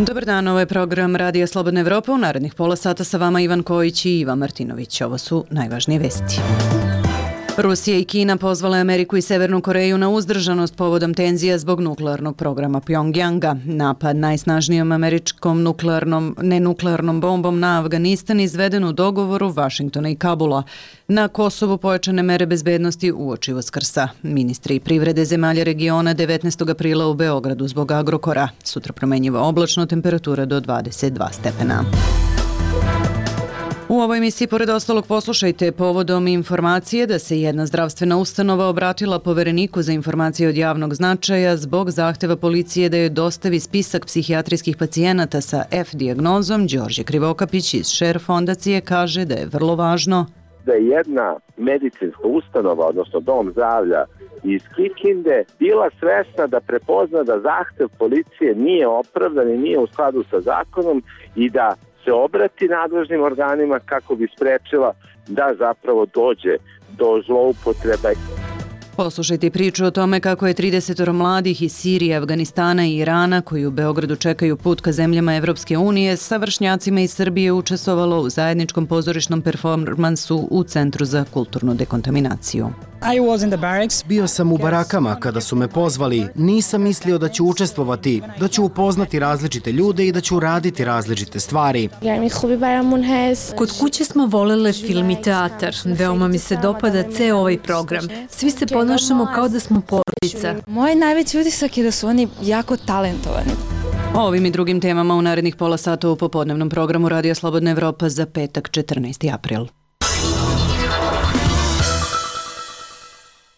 Dobar dan, ovo je program Radija Slobodna Evropa. U narednih pola sata sa vama Ivan Kojić i Ivan Martinović. Ovo su najvažnije vesti. Rusija i Kina pozvale Ameriku i Severnu Koreju na uzdržanost povodom tenzija zbog nuklearnog programa Pjongjanga. Napad najsnažnijom američkom nenuklearnom bombom na Afganistan izveden u dogovoru Vašingtona i Kabula. Na Kosovu pojačane mere bezbednosti uoči Uskrsa. Ministri privrede zemalja regiona 19. aprila u Beogradu zbog Agrokora. Sutra promenjiva oblačno, temperatura do 22 stepena. U ovoj emisiji pored ostalog poslušajte povodom informacije da se jedna zdravstvena ustanova obratila Povereniku za informacije od javnog značaja zbog zahteva policije da joj dostavi spisak psihijatrijskih pacijenata sa F dijagnozom. Đorđe Krivokapić iz Šer fondacije kaže da je vrlo važno da je jedna medicinska ustanova, odnosno dom zdravlja iz Kikinde, bila svesna da prepozna da zahtev policije nije opravdan i nije u skladu sa zakonom i da se obrati nadležnim organima kako bi sprečila da zapravo dođe do zloupotreba. Poslušajte priču o tome kako je 30 mladih iz Sirije, Afganistana i Irana koji u Beogradu čekaju put ka zemljama Evropske unije sa vršnjacima iz Srbije učestvovalo u zajedničkom pozorišnom performansu u Centru za kulturnu dekontaminaciju. Bio sam u barakama kada su me pozvali. Nisam mislio da ću učestvovati, da ću upoznati različite ljude i da ću raditi različite stvari. Kod kuće smo volele film i teatar. Veoma mi se dopada ceo ovaj program. Svi se ponašamo kao da smo porodica. Moj najveći utisak je da su oni jako talentovani. O ovim i drugim temama u narednih pola sata u popodnevnom programu Radija Slobodna Evropa za petak 14. april.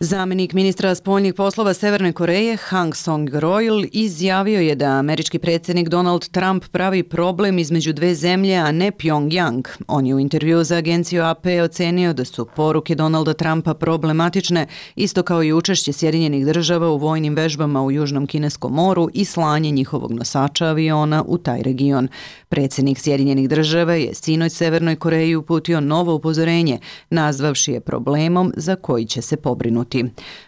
Zamenik ministra spoljnih poslova Severne Koreje Hang Song-roil izjavio je da američki predsjednik Donald Trump pravi problem između dve zemlje, a ne Pjongjang. On je u intervjuu za agenciju AP ocenio da su poruke Donalda Trumpa problematične, isto kao i učešće Sjedinjenih država u vojnim vežbama u Južnom Kineskom moru i slanje njihovog nosača aviona u taj region. Predsjednik Sjedinjenih država je sinoć Severnoj Koreji uputio novo upozorenje, nazvavši je problemom za koji će se pobrinuti.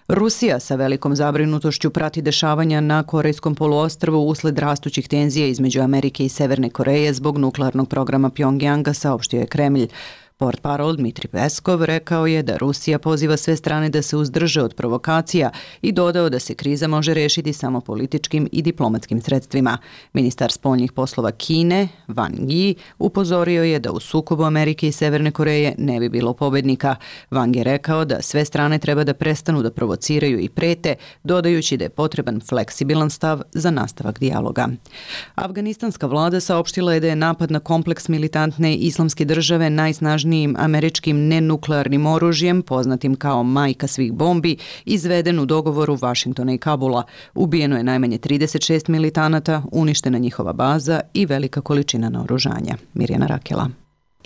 Rusija sa velikom zabrinutošću prati dešavanja na Korejskom poluostrvu usled rastućih tenzija između Amerike i Severne Koreje zbog nuklearnog programa Pjongjanga, saopštio je Kremlj. Portparol Dmitri Peskov rekao je da Rusija poziva sve strane da se uzdrže od provokacija i dodao da se kriza može rešiti samo političkim i diplomatskim sredstvima. Ministar spoljnih poslova Kine, Wang Yi, upozorio je da u sukobu Amerike i Severne Koreje ne bi bilo pobednika. Wang je rekao da sve strane treba da prestanu da provociraju i prete, dodajući da je potreban fleksibilan stav za nastavak dijaloga. Afganistanska vlada saopštila je da je napad na kompleks militantne islamske države najsnažnijim američkim nenuklearnim oružjem, poznatim kao majka svih bombi, izveden u dogovoru Vašingtona i Kabula. Ubijeno je najmanje 36 militanata, uništena njihova baza i velika količina naoružanja. Mirjana Rakela.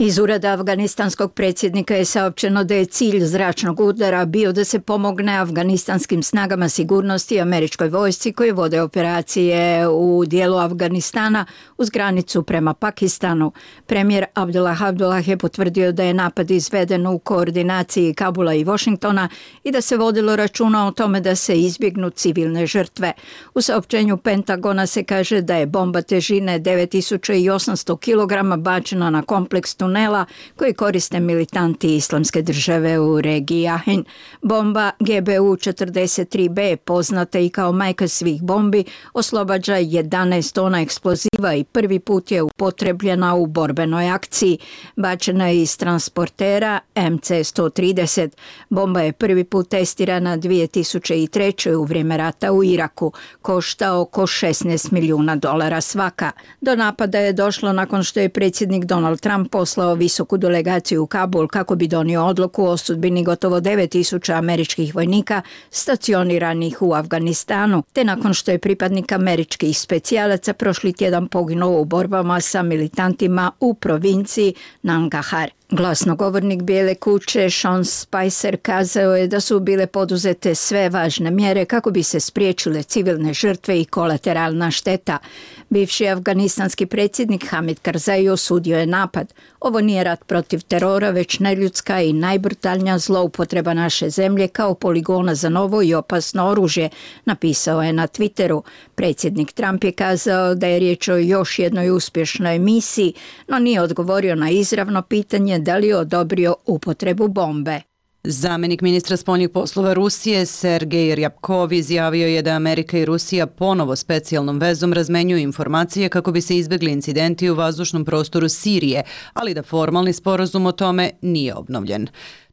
Iz ureda afganistanskog predsjednika je saopćeno da je cilj zračnog udara bio da se pomogne afganistanskim snagama sigurnosti i američkoj vojsci koji vode operacije u dijelu Afganistana uz granicu prema Pakistanu. Premijer Abdullah je potvrdio da je napad izveden u koordinaciji Kabula i Washingtona i da se vodilo računa o tome da se izbjegnu civilne žrtve. U saopćenju Pentagona se kaže da je bomba težine 9800 kg bačena na kompleks tunela koji koriste militanti islamske države u regiji Ahin. Bomba GBU-43B, poznata i kao majka svih bombi, oslobađa 11 tona eksploziva i prvi put je upotrebljena u borbenoj akciji. Bačena je iz transportera MC-130. Bomba je prvi put testirana 2003. u vrijeme rata u Iraku. Košta oko $16 milijuna svaka. Do napada je došlo nakon što je predsjednik Donald Trump poslao visoku delegaciju u Kabul kako bi donio odluku o sudbini gotovo 9000 američkih vojnika stacioniranih u Afganistanu, te nakon što je pripadnik američkih specijalaca prošli tjedan poginuo u borbama sa militantima u provinciji Nangarhar. Glasnogovornik Bijele kuće Sean Spicer kazao je da su bile poduzete sve važne mjere kako bi se spriječile civilne žrtve i kolateralna šteta. Bivši afganistanski predsjednik Hamid Karzai osudio je napad. Ovo nije rat protiv terora, već neljudska i najbrutalnija zloupotreba naše zemlje kao poligona za novo i opasno oružje, napisao je na Twitteru. Predsjednik Trump je kazao da je riječ o još jednoj uspješnoj misiji, no nije odgovorio na izravno pitanje da li je odobrio upotrebu bombe. Zamjenik ministra spoljnih poslova Rusije Sergej Ryabkov izjavio je da Amerika i Rusija ponovo specijalnom vezom razmenjuju informacije kako bi se izbjegli incidenti u vazdušnom prostoru Sirije, ali da formalni sporazum o tome nije obnovljen.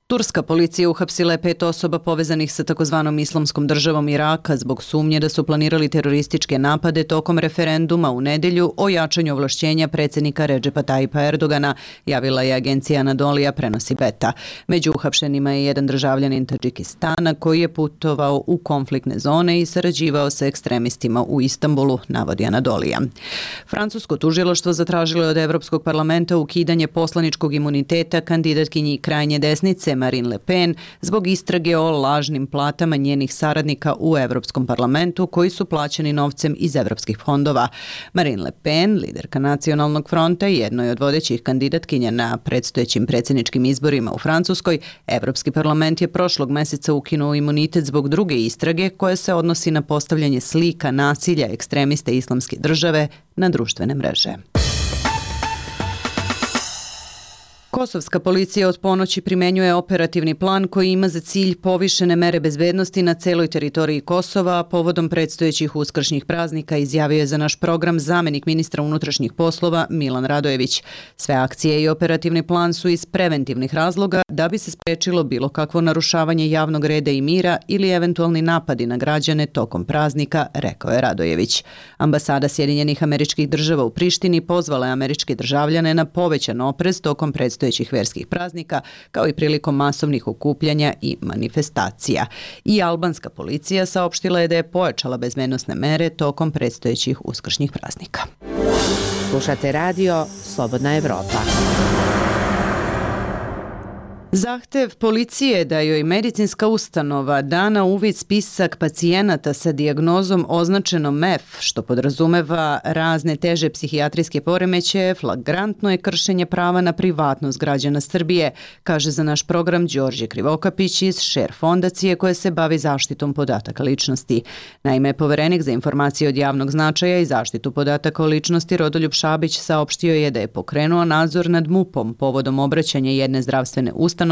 Turska policija uhapsila je 5 osoba povezanih sa takozvanom Islamskom državom Iraka zbog sumnje da su planirali terorističke napade tokom referenduma u nedjelju o jačanju ovlašćenja predsjednika Redžepa Tayyipa Erdogana, javila je agencija Anadolija, prenosi Beta. Među uhapšenima je jedan državljanin Tadžikistana koji je putovao u konfliktne zone i sarađivao sa ekstremistima u Istanbulu, navodi Anadolija. Francusko tužilaštvo zatražilo je od Evropskog parlamenta ukidanje poslaničkog imuniteta kandidatkinji krajnje desnice Marine Le Pen zbog istrage o lažnim platama njenih saradnika u Evropskom parlamentu koji su plaćeni novcem iz evropskih fondova. Marine Le Pen, liderka Nacionalnog fronta i jednoj od vodećih kandidatkinja na predstojećim predsjedničkim izborima u Francuskoj, Evropski parlament je prošlog mjeseca ukinuo imunitet zbog druge istrage koja se odnosi na postavljanje slika nasilja ekstremiste Islamske države na društvene mreže. Kosovska policija od ponoći primjenjuje operativni plan koji ima za cilj povišene mere bezbednosti na celoj teritoriji Kosova, a povodom predstojećih uskršnjih praznika, izjavio je za naš program zamjenik ministra unutrašnjih poslova Milan Radojević. Sve akcije i operativni plan su iz preventivnih razloga da bi se spriječilo bilo kakvo narušavanje javnog reda i mira ili eventualni napadi na građane tokom praznika, rekao je Radojević. Ambasada Sjedinjenih Američkih Država u Prištini pozvala je američke državljane na povećan oprez tokom predstojećih verskih praznika, kao i prilikom masovnih okupljanja i manifestacija. I albanska policija saopštila je da je pojačala bezbednosne mere tokom predstojećih uskršnjih praznika. Slušate radio Slobodna Evropa. Zahtev policije da joj medicinska ustanova da na uvid spisak pacijenata sa dijagnozom označenom MEF, što podrazumeva razne teže psihijatrijske poremećaje, flagrantno je kršenje prava na privatnost građana Srbije, kaže za naš program Đorđe Krivokapić iz Share fondacije koja se bavi zaštitom podataka ličnosti. Naime, poverenik za informacije od javnog značaja i zaštitu podataka o ličnosti Rodoljub Šabić saopštio je da je pokrenuo nadzor nad MUP-om povodom obraćanja jedne zdravstvene ustanove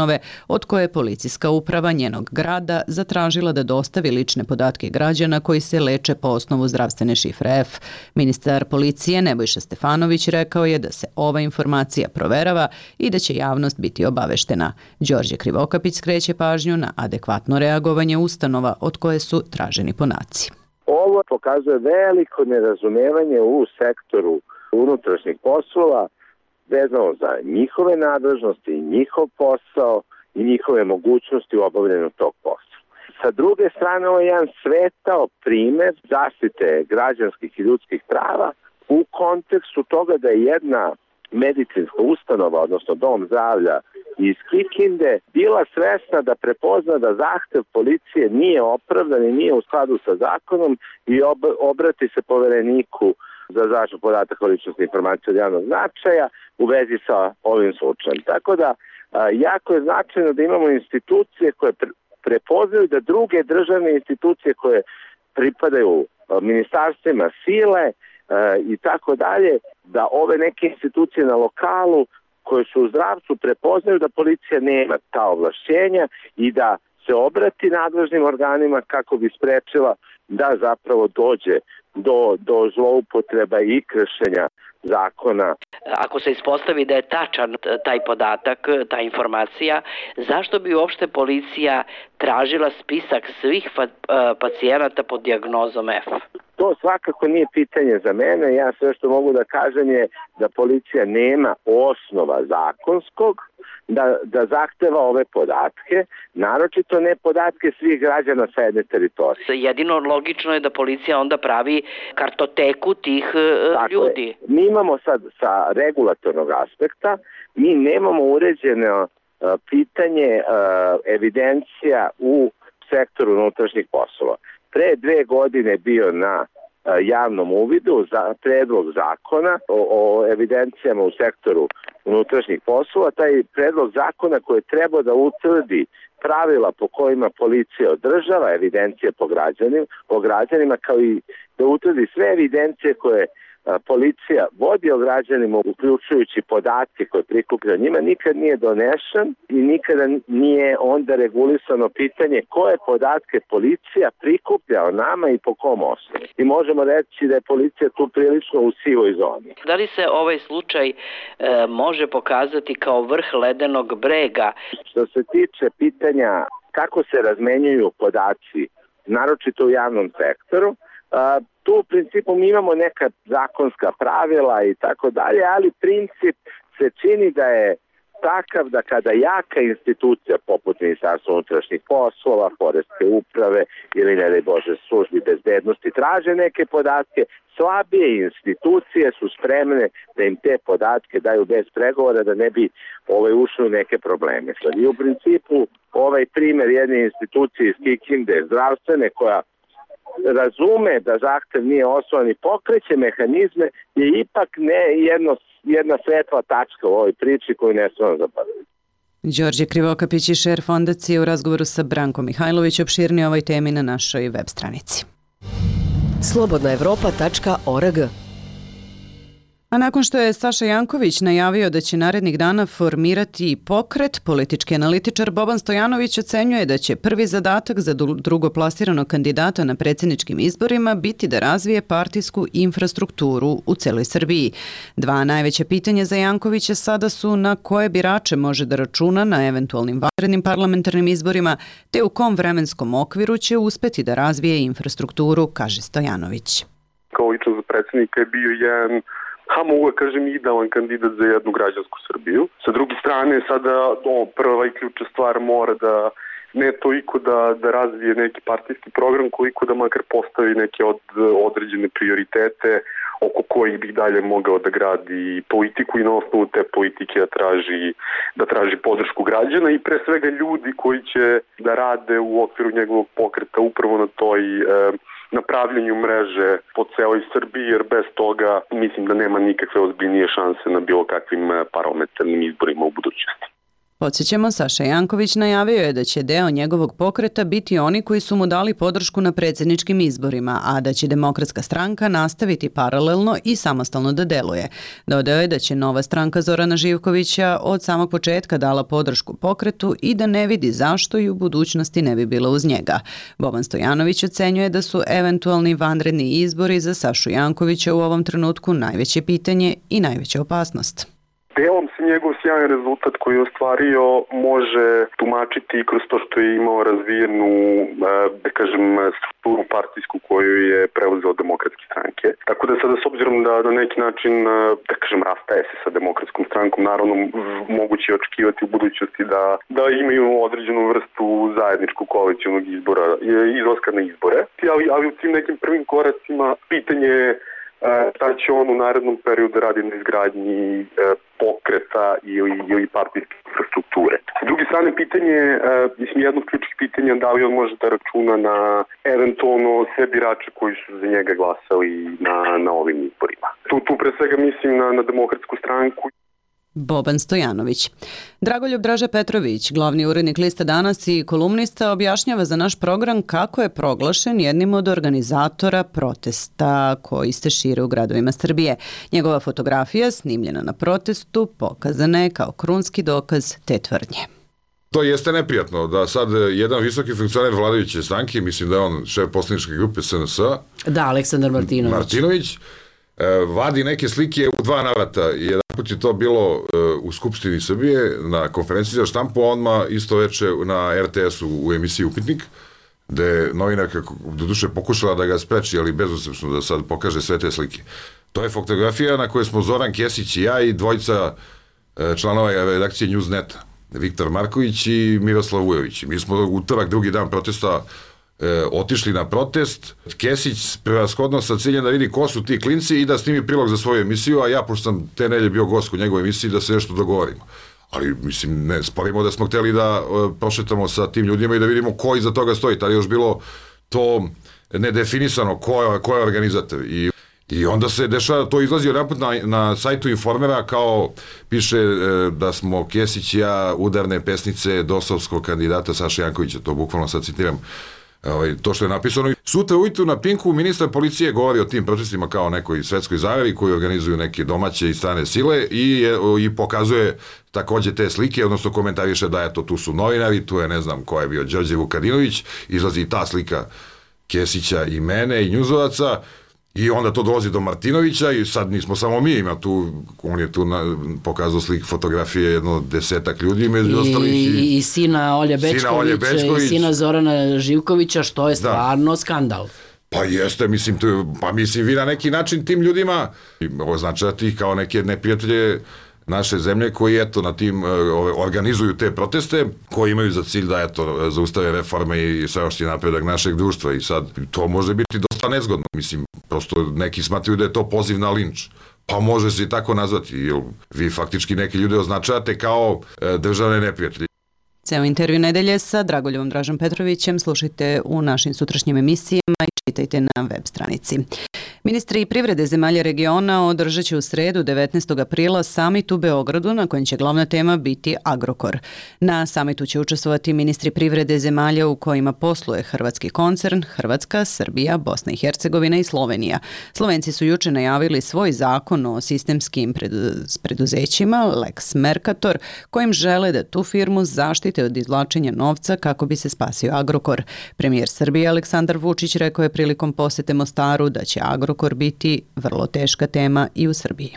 od koje je policijska uprava njenog grada zatražila da dostavi lične podatke građana koji se leče po osnovu zdravstvene šifre F. Ministar policije Nebojša Stefanović rekao je da se ova informacija proverava i da će javnost biti obaveštena. Đorđe Krivokapić skreće pažnju na adekvatno reagovanje ustanova od koje su traženi podaci. Ovo pokazuje veliko nerazumevanje u sektoru unutrašnjih poslova vezano za njihove nadležnosti, njihov posao i njihove mogućnosti u obavljanju tog posla. Sa druge strane, ovo je jedan svetao primjer zaštite građanskih i ljudskih prava u kontekstu toga da je jedna medicinska ustanova, odnosno dom zdravlja iz Kikinde, bila svesna da prepozna da zahtev policije nije opravdan i nije u skladu sa zakonom i obrati se povereniku za zaštitu podataka o ličnosti informacije od javnog značaja u vezi sa ovim slučajem. Tako da, jako je značajno da imamo institucije koje prepoznaju da druge državne institucije koje pripadaju ministarstvima sile i tako dalje, da ove neke institucije na lokalu koje su u zdravstvu prepoznaju da policija nema ta ovlašćenja i da se obrati nadležnim organima kako bi sprečila da zapravo dođe do zloupotreba i kršenja zakona. Ako se ispostavi da je tačan taj podatak, ta informacija, zašto bi uopšte policija tražila spisak svih pacijenata pod dijagnozom F? To svakako nije pitanje za mene. Ja sve što mogu da kažem je da policija nema osnova zakonskog da zahteva ove podatke, naročito ne podatke svih građana sa jedne teritorije. Jedino logično je da policija onda pravi kartoteku tih ljudi. Mi imamo sad sa regulatornog aspekta, mi nemamo uređeno pitanje evidencija u sektoru unutrašnjih poslova. Pre 2 godine bio na javnom uvidu za predlog zakona o evidencijama u sektoru unutrašnjih poslova. Taj predlog zakona koji je trebao da utvrdi pravila po kojima policija održava evidencije po građanima, kao i da utvrdi sve evidencije koje policija vodi o građanima, uključujući podatke koje prikuplja njima, nikad nije donešen i nikada nije onda regulisano pitanje koje podatke policija prikuplja o nama i po kom osnovu. I možemo reći da je policija tu prilično u sivoj zoni. Da li se ovaj slučaj može pokazati kao vrh ledenog brega? Što se tiče pitanja kako se razmenjuju podaci, naročito u javnom sektoru, tu u principu mi imamo neka zakonska pravila i tako dalje, ali princip se čini da je takav da kada jaka institucija poput Ministarstva unutrašnjih poslova, Poreske uprave ili ne daj Bože službi bezbednosti traže neke podatke, slabije institucije su spremne da im te podatke daju bez pregovora da ne bi ušli u neke probleme. I u principu ovaj primer jedne institucije iz Kikinde, zdravstvene, koja razume da zahtev nije osnovan i pokreće mehanizme, je ipak jedna svetla tačka u ovoj priči koju ne smemo zaboraviti. Đorđe Krivokapić i šer fondacije u razgovoru sa Brankom Mihajlović opširnije o ovoj temi na našoj web stranici. slobodnaevropa.org. A nakon što je Saša Janković najavio da će narednih dana formirati pokret, politički analitičar Boban Stojanović ocenjuje da će prvi zadatak za drugoplasiranog kandidata na predsjedničkim izborima biti da razvije partijsku infrastrukturu u celoj Srbiji. 2 najveća pitanja za Jankovića sada su na koje birače može da računa na eventualnim vanrednim parlamentarnim izborima, te u kom vremenskom okviru će uspeti da razvije infrastrukturu, kaže Stojanović. Kao lično za predsjednika je bio jedan mogu da kažem idealan kandidat za jednu građansku Srbiju. Sa druge strane, sada prva i ključna stvar mora da ne toliko da razvije neki partijski program, koliko da makar postavi neke određene prioritete oko kojih bi dalje mogao da gradi politiku i na osnovu te politike da traži podršku građana i pre svega ljudi koji će da rade u okviru njegovog pokreta upravo na toj napravljanju mreže po celoj Srbiji, jer bez toga mislim da nema nikakve ozbiljnije šanse na bilo kakvim parlamentarnim izborima u budućnosti. Podsjećamo, Saša Janković najavio je da će deo njegovog pokreta biti oni koji su mu dali podršku na predsjedničkim izborima, a da će Demokratska stranka nastaviti paralelno i samostalno da deluje. Dodao je da će nova stranka Zorana Živkovića od samog početka dala podršku pokretu i da ne vidi zašto i u budućnosti ne bi bila uz njega. Boban Stojanović ocenjuje da su eventualni vanredni izbori za Sašu Jankovića u ovom trenutku najveće pitanje i najveća opasnost. Delom se njegov sjajan rezultat koji je ostvario može tumačiti kroz to što je imao razvijenu, da kažem, strukturu partijsku koju je preuzeo Demokratske stranke. Tako da sada s obzirom da na neki način, da kažem, rastaje se sa Demokratskom strankom, naravno moguće je očekivati u budućnosti da imaju određenu vrstu zajedničkog koalicionog izbora, izlaska na izbore. Ali u tim nekim prvim koracima pitanje je da će on u narednom periodu radi na izgradnji pokreta ili partijske infrastrukture. S druge strane, pitanje, jedno od ključnih pitanja da li on može da računa na eventualno sve birače koji su za njega glasali na ovim izborima. Tu pre svega mislim na Demokratsku stranku. Boban Stojanović. Dragoljub Draže Petrović, glavni urednik Lista Danas i kolumnista, objašnjava za naš program kako je proglašen jednim od organizatora protesta koji se šire u gradovima Srbije. Njegova fotografija, snimljena na protestu, pokazana je kao krunski dokaz te tvrdnje. To jeste neprijatno da sad jedan visoki funkcioner vladajuće stranke, mislim da je on šef poslaničke grupe SNS, da, Aleksandar Martinović, vadi neke slike u 2 navrata. Jedan put je to bilo u Skupštini Srbije na konferenciji za štampu, a odmah isto veče na RTS-u u emisiji Upitnik, gde je novinarka doduše pokušala da ga spreči, ali bezuspešno da sad pokaže sve te slike. To je fotografija na kojoj smo Zoran Kesić i ja i dvojica članova redakcije Newsneta, Viktor Marković i Miroslav Vujović. Mi smo utorak, drugi dan protesta, otišli na protest. Kesić prevashodno sa ciljem da vidi ko su ti klinci i da snimi prilog za svoju emisiju, a ja, pošto sam te nedelje bio gost u njegovoj emisiji, da se nešto dogovorimo. Ali, mislim, ne sporimo da smo hteli da prošetamo sa tim ljudima i da vidimo ko iza toga stoji. Tada je još bilo to nedefinisano ko je organizator. I onda se dešava, to izlazi jedanput na sajtu Informera, kao piše da smo Kesić i ja udarne pesnice dosovskog kandidata Saše Jankovića, to bukvalno sad citiram, to što je napisano. Sutra ujutru na Pinku ministar policije govori o tim protestima kao nekoj svetskoj zajavi koji organizuju neke domaće i strane sile i pokazuje takođe te slike, odnosno komentariše da eto tu su novinari, tu je ne znam ko je bio Đorđe Vukadinović, izlazi i ta slika Kesića i mene i njuzovaca. I onda to dolazi do Martinovića i sad nismo samo mi, on je tu pokazao slik fotografije jedno 10 ljudi među ostalih. I sina Olje Bećković i sina Zorana Živkovića, što je stvarno skandal. Pa jeste, mislim, vi na neki način tim ljudima označavate ih kao neke neprijatelje naše zemlje koji eto na tim organizuju te proteste, koji imaju za cilj da eto zaustave reforme i sveopšti napredak našeg društva i sad to može biti dosta nezgodno, mislim, prosto neki smatraju da je to poziv na linč. Pa može se i tako nazvati, jer vi faktički neke ljude označavate kao državne neprijatelje. Ceo intervju nedelje sa Dragoljevom Dražom Petrovićem slušajte u našim sutrašnjim emisijama i čitajte na web stranici. Ministri privrede zemalja regiona održat će u sredu 19. aprila samit u Beogradu na kojem će glavna tema biti Agrokor. Na samitu će učestvovati ministri privrede zemalja u kojima posluje hrvatski koncern, Hrvatska, Srbija, Bosna i Hercegovina i Slovenija. Slovenci su juče najavili svoj zakon o sistemskim preduzećima, Lex Mercator, kojim žele da tu firmu zaštite od izvlačenja novca kako bi se spasio Agrokor. Premijer Srbije Aleksandar Vučić rekao je prilikom posete Mostaru da će Agrokor biti vrlo teška tema i u Srbiji.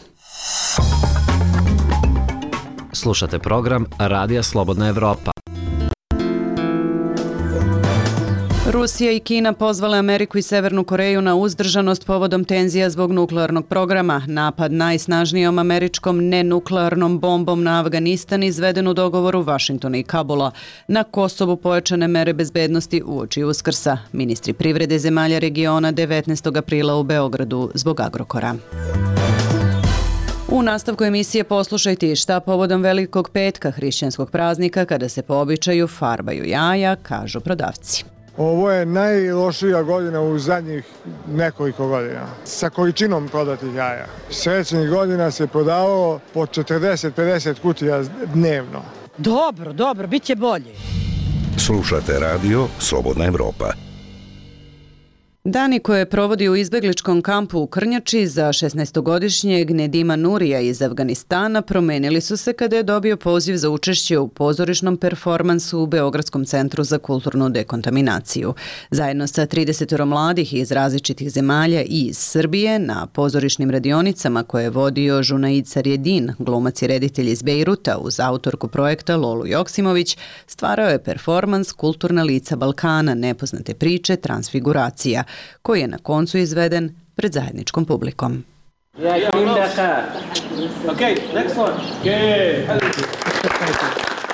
Slušate program Radija Slobodna Evropa. Rusija i Kina pozvale Ameriku i Severnu Koreju na uzdržanost povodom tenzija zbog nuklearnog programa. Napad najsnažnijom američkom nenuklearnom bombom na Afganistan izveden u dogovoru Vašingtona i Kabula. Na Kosovu pojačane mere bezbednosti uoči Uskrsa. Ministri privrede zemalja regiona 19. aprila u Beogradu zbog Agrokora. U nastavku emisije poslušajte šta povodom Velikog petka, hrišćanskog praznika, kada se po običaju farbaju jaja, kažu prodavci. Ovo je najlošija godina u zadnjih nekoliko godina sa količinom prodatih jaja. Srećnih godina se prodavalo po 40-50 kutija dnevno. Dobro, bit će bolje. Slušate radio Slobodna Evropa. Dani koje provodi u izbegličkom kampu u Krnjači za 16-godišnjeg Nedima Nurija iz Afganistana promenili su se kada je dobio poziv za učešće u pozorišnom performansu u Beogradskom centru za kulturnu dekontaminaciju. Zajedno sa 30 mladih iz različitih zemalja i iz Srbije na pozorišnim radionicama koje je vodio Junaid Sarjedin, glumac i reditelj iz Bejruta uz autorku projekta Lolu Joksimović, stvarao je performans Kulturna lica Balkana, nepoznate priče, transfiguracija, koji je na koncu izveden pred zajedničkom publikom.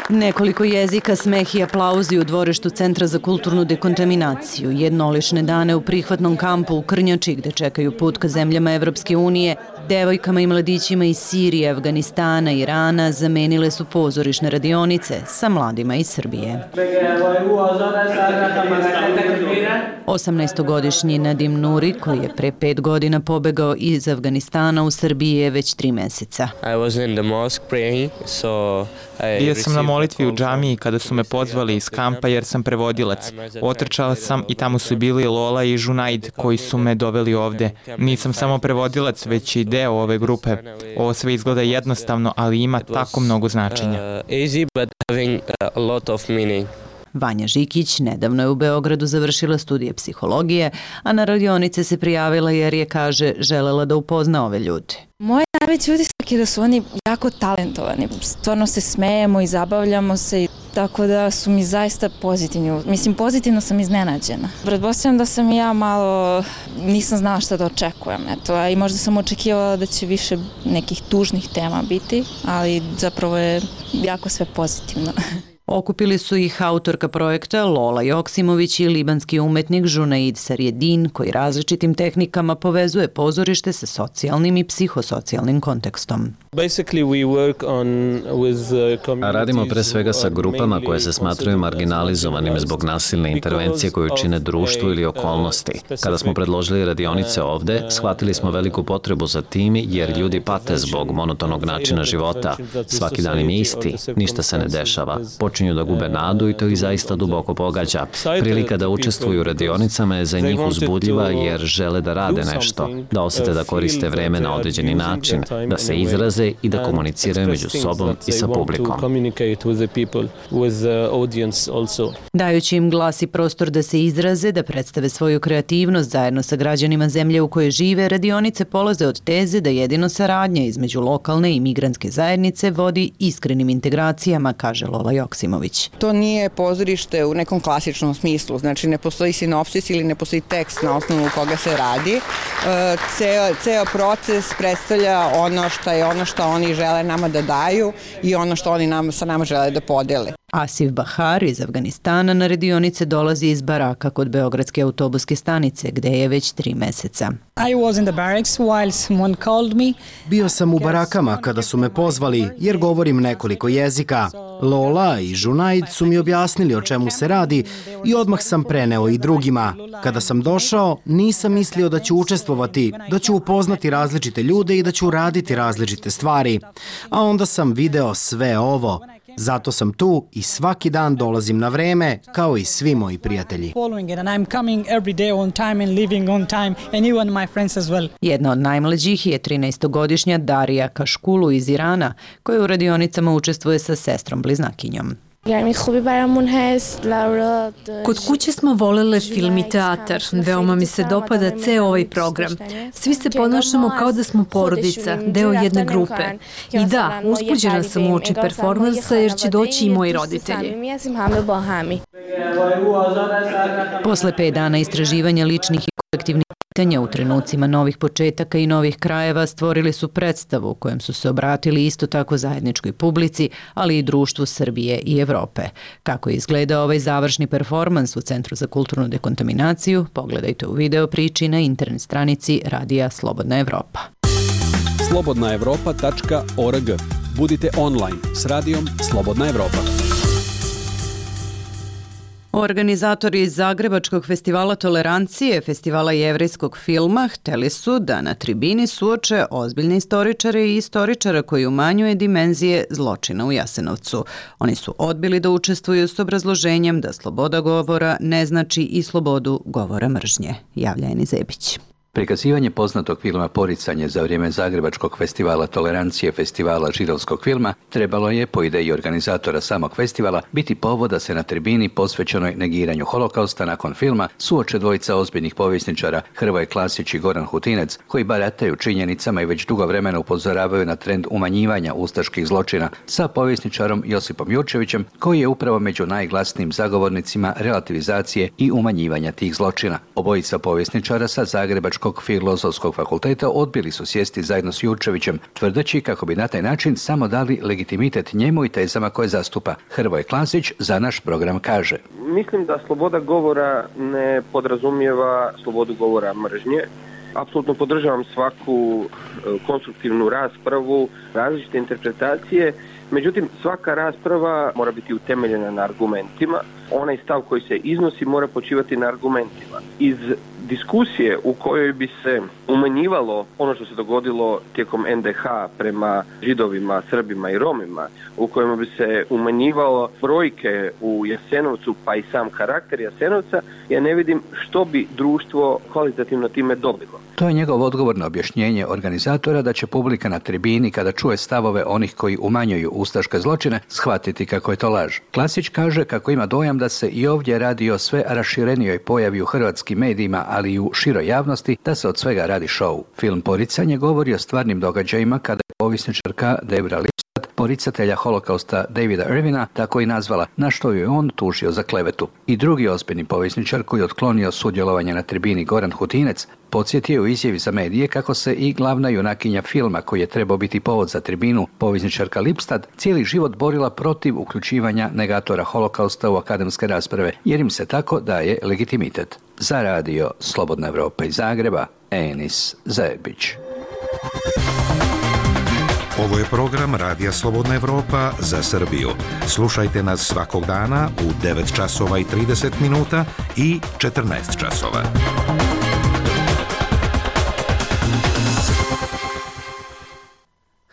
Nekoliko jezika, smeh i aplauzi u dvorištu Centra za kulturnu dekontaminaciju, jednolične dane u prihvatnom kampu u Krnjači gde čekaju put ka zemljama Evropske unije, devojkama i mladićima iz Sirije, Afganistana i Irana zamenile su pozorišne radionice sa mladima iz Srbije. 18-godišnji Nadim Nuri, koji je pre 5 godina pobegao iz Afganistana u Srbiji, je već 3 meseca. Bio sam na molitvi u džamiji kada su me pozvali iz kampa jer sam prevodilac. Otrčala sam i tamo su bili Lola i Junaid koji su me doveli ovde. Nisam samo prevodilac, već i deo ove grupe. Ovo sve izgleda jednostavno, ali ima tako mnogo značenja. Vanja Žikić nedavno je u Beogradu završila studije psihologije, a na radionice se prijavila jer je, kaže, želela da upozna ove ljude. Moj najveći utisak je da su oni jako talentovani. Stvarno se smejemo i zabavljamo se, tako da su mi zaista pozitivni. Mislim, pozitivno sam iznenađena. Pretpostavljam da sam i ja malo, nisam znala šta da očekujem, eto, a i možda sam očekivala da će više nekih tužnih tema biti, ali zapravo je jako sve pozitivno. Okupili su ih autorka projekta Lola Joksimović i libanski umetnik Junaid Sarjedin, koji različitim tehnikama povezuje pozorište sa socijalnim i psihosocijalnim kontekstom. Radimo pre svega sa grupama koje se smatraju marginalizovanim zbog nasilne intervencije koju čine društvu ili okolnosti. Kada smo predložili radionice ovde, shvatili smo veliku potrebu za tim jer ljudi pate zbog monotonog načina života. Svaki dan im je isti, ništa se ne dešava. Počinju da gube nadu i to ih zaista duboko pogađa. Prilika da učestvuju u radionicama je za njih uzbudljiva jer žele da rade nešto, da osete da koriste vreme na određeni način, da se izraze i da komuniciraju među sobom i sa publikom. Dajući im glas i prostor da se izraze, da predstave svoju kreativnost zajedno sa građanima zemlje u kojoj žive, radionice polaze od teze da jedino saradnja između lokalne i migrantske zajednice vodi iskrenim integracijama, kaže Lola Joksimović. To nije pozorište u nekom klasičnom smislu, znači ne postoji sinopsis ili ne postoji tekst na osnovu koga se radi. Ceo proces predstavlja ono što oni žele nama da daju i ono što oni sa nama žele da podele. Asif Bahar iz Afganistana na radionice dolazi iz baraka kod Beogradske autobuske stanice, gde je već 3 meseca. Bio sam u barakama kada su me pozvali, jer govorim nekoliko jezika. Lola i Junaid su mi objasnili o čemu se radi i odmah sam preneo i drugima. Kada sam došao, nisam mislio da ću učestvovati, da ću upoznati različite ljude i da ću raditi različite stvari. A onda sam video sve ovo. Zato sam tu i svaki dan dolazim na vreme, kao i svi moji prijatelji. Jedna od najmlađih je 13-godišnja Darija Kaškulu iz Irana, koja u radionicama učestvuje sa sestrom bliznakinjom. Kod kuće smo volele film i teatar. Veoma mi se dopada ceo ovaj program. Svi se ponašamo kao da smo porodica, deo jedne grupe. I da, uzbuđena sam uoči performansa jer će doći i moji roditelji. Posle 5 dana istraživanja ličnih i kolektivnih pitanja u trenucima novih početaka i novih krajeva stvorili su predstavu u kojem su se obratili isto tako zajedničkoj publici, ali i društvu Srbije i Evrope. Kako je izgledao ovaj završni performans u Centru za kulturnu dekontaminaciju, pogledajte u video priči na internet stranici Radija Slobodna Evropa. slobodnaevropa.org. Budite online s Radijom Slobodna Evropa. Organizatori Zagrebačkog festivala tolerancije, festivala jevrejskog filma, hteli su da na tribini suoče ozbiljne istoričare i istoričara koji umanjuje dimenzije zločina u Jasenovcu. Oni su odbili da učestvuju s obrazloženjem da sloboda govora ne znači i slobodu govora mržnje, javlja Eni Zebić. Prikazivanje poznatog filma Poricanje za vrijeme Zagrebačkog festivala tolerancije festivala židovskog filma trebalo je, po ideji organizatora samog festivala, biti povod da se na tribini posvećenoj negiranju holokausta nakon filma suoče dvojica ozbiljnih povjesničara Hrvoje Klasić i Goran Hutinec, koji barataju činjenicama i već dugo vremena upozoravaju na trend umanjivanja ustaških zločina, sa povjesničarom Josipom Jurčevićem, koji je upravo među najglasnijim zagovornicima relativizacije i umanjivanja tih zločina. Obojica povjesničara sa Zagrebačkog Filozofskog fakulteta odbili su sjesti zajedno s Jurčevićem, tvrdeći kako bi na taj način samo dali legitimitet njemu i tezama koje zastupa. Hrvoje Klasić za naš program kaže: Mislim da sloboda govora ne podrazumijeva slobodu govora mržnje. Apsolutno podržavam svaku konstruktivnu raspravu, različite interpretacije, međutim svaka rasprava mora biti utemeljena na argumentima. Onaj stav koji se iznosi mora počivati na argumentima. Iz diskusije u kojoj bi se umanjivalo ono što se dogodilo tijekom NDH prema Židovima, Srbima i Romima, u kojima bi se umanjivalo brojke u Jasenovcu pa i sam karakter Jasenovca, ja ne vidim što bi društvo kvalitativno time dobilo. To je njegov odgovor na objašnjenje organizatora da će publika na tribini, kada čuje stavove onih koji umanjuju ustaške zločine, shvatiti kako je to laž. Klasić kaže kako ima dojam da se i ovdje radi o sve raširenijoj pojavi u hrvatskim medijima, ali i u široj javnosti, da se od svega radi šou. Film Poricanje govori o stvarnim događajima kada je povjesničarka Debra Lipstadt poricatelja holokausta Davida Irvina tako i nazvala, na što ju je on tužio za klevetu. I drugi ozbiljni povjesničar koji je otklonio sudjelovanje na tribini Goran Hutinec podsjetio u izjavi za medije kako se i glavna junakinja filma koji je trebao biti povod za tribinu, povjesničarka Lipstad, cijeli život borila protiv uključivanja negatora holokausta u akademske rasprave, jer im se tako daje legitimitet. Za radio Slobodna Evropa iz Zagreba, Enis Zajebić. Ovo je program Radija Slobodna Evropa za Srbiju. Slušajte nas svakog dana u 9 časova i 30 minuta i 14 časova.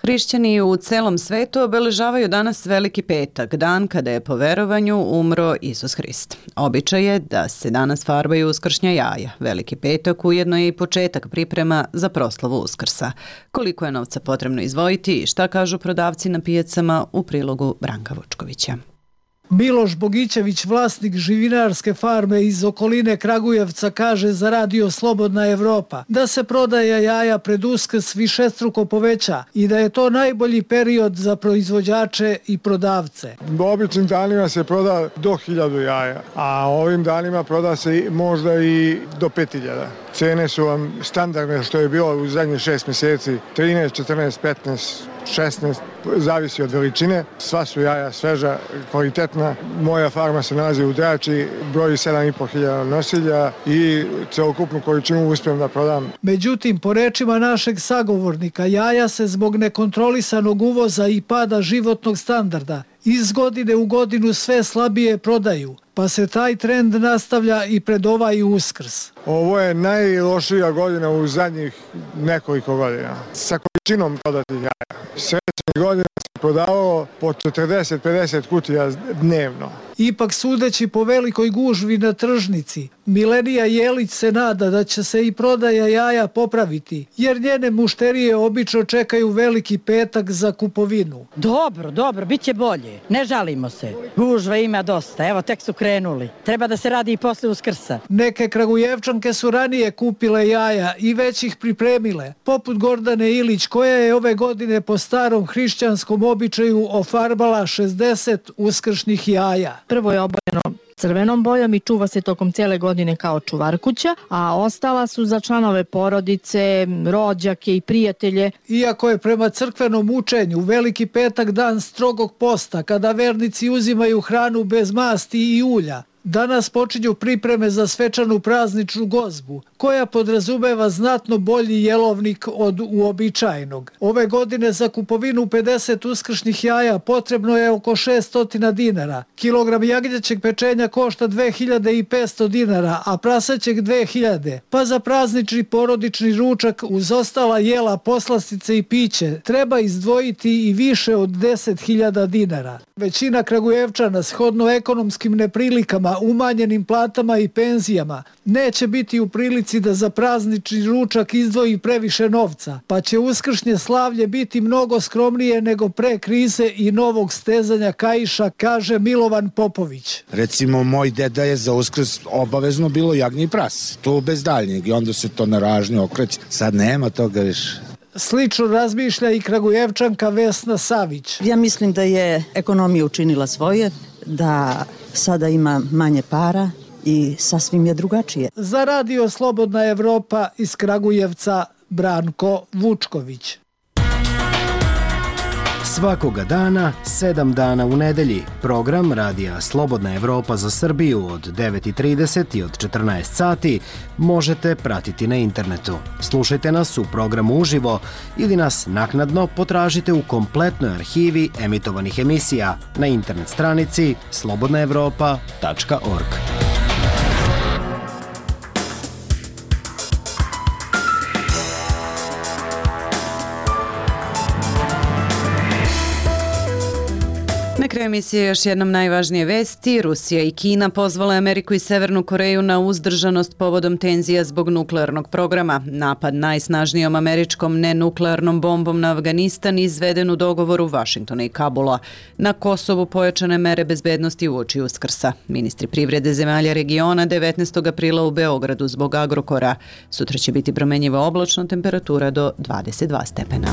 Hrišćani u celom svetu obeležavaju danas Veliki petak, dan kada je po verovanju umro Isus Hrist. Običaj je da se danas farbaju uskršnja jaja. Veliki petak ujedno je i početak priprema za proslavu Uskrsa. Koliko je novca potrebno izdvojiti i šta kažu prodavci na pijacama u prilogu Branka Vučkovića. Miloš Bogićević, vlasnik živinarske farme iz okoline Kragujevca, kaže za radio Slobodna Evropa da se prodaja jaja pred Uskrs višestruko poveća i da je to najbolji period za proizvođače i prodavce. U običnim danima se proda do 1000 jaja, a ovim danima proda se možda i do 5000. Cene su vam standardne što je bilo u zadnjih 6 mjeseci, 13, 14, 15, 16, zavisi od veličine. Sva su jaja sveža, kvalitetna. Moja farma se nalazi u Drači, broji 7500 nosilja i celokupnu količinu uspijem da prodam. Međutim, po rečima našeg sagovornika, jaja se zbog nekontrolisanog uvoza i pada životnog standarda iz godine u godinu sve slabije prodaju, pa se taj trend nastavlja i pred ovaj Uskrs. Ovo je najlošija godina u zadnjih nekoliko godina. Sa količinom prodatih jaja. Sljedećih godina se prodavalo po 40-50 kutija dnevno. Ipak, sudeći po velikoj gužvi na tržnici, Milenija Jelić se nada da će se i prodaja jaja popraviti, jer njene mušterije obično čekaju Veliki petak za kupovinu. Dobro, bit će bolje. Ne žalimo se. Gužve ima dosta, evo tek su krenuli. Treba da se radi i posle Uskrsa. Neke Kragujevčanke su ranije kupile jaja i već ih pripremile, poput Gordane Ilić, koja je ove godine po starom hrišćanskom običaju ofarbala 60 uskršnjih jaja. Prvo je obojeno crvenom bojom i čuva se tokom cijele godine kao čuvarkuća, a ostala su za članove porodice, rođake i prijatelje. Iako je prema crkvenom učenju Veliki petak dan strogog posta, kada vernici uzimaju hranu bez masti i ulja, danas počinju pripreme za svečanu prazničnu gozbu, koja podrazumeva znatno bolji jelovnik od uobičajenog. Ove godine za kupovinu 50 uskršnjih jaja potrebno je oko 600 dinara. Kilogram jagnjećeg pečenja košta 2500 dinara, a prasećeg 2000. Pa za praznični porodični ručak uz ostala jela, poslastice i piće treba izdvojiti i više od 10.000 dinara. Većina Kragujevčana, shodno ekonomskim neprilikama, umanjenim platama i penzijama, neće biti u prilici da za praznični ručak izdvoji previše novca, pa će uskršnje slavlje biti mnogo skromnije nego pre krize i novog stezanja kaiša, kaže Milovan Popović. Recimo, moj deda je za Uskrs obavezno bilo jagnje i prase, to bez daljnjeg, i onda se to na ražnju okreće. Sad nema toga više. Slično razmišlja i Kragujevčanka Vesna Savić. Ja mislim da je ekonomija učinila svoje, da sada ima manje para i sasvim je drugačije. Za radio Slobodna Evropa iz Kragujevca, Branko Vučković. Svakoga dana, 7 dana u nedelji, program Radija Slobodna Evropa za Srbiju od 9:30 i od 14 sati možete pratiti na internetu. Slušajte nas u programu uživo ili nas naknadno potražite u kompletnoj arhivi emitovanih emisija na internet stranici slobodnaevropa.org. Na kraju emisije još jednom najvažnije vesti. Rusija i Kina pozvale Ameriku i Severnu Koreju na uzdržanost povodom tenzija zbog nuklearnog programa. Napad najsnažnijom američkom nenuklearnom bombom na Afganistan izveden u dogovoru Vašingtona i Kabula. Na Kosovu pojačane mere bezbednosti uoči Uskrsa. Ministri privrede zemalja regiona 19. aprila u Beogradu zbog Agrokora. Sutra će biti promenjiva oblačno, temperatura do 22 stepena.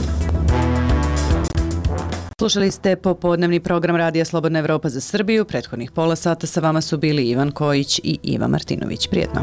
Slušali ste popodnevni program Radija Slobodna Evropa za Srbiju. Prethodnih pola sata sa vama su bili Ivan Kojić i Iva Martinović. Prijetno.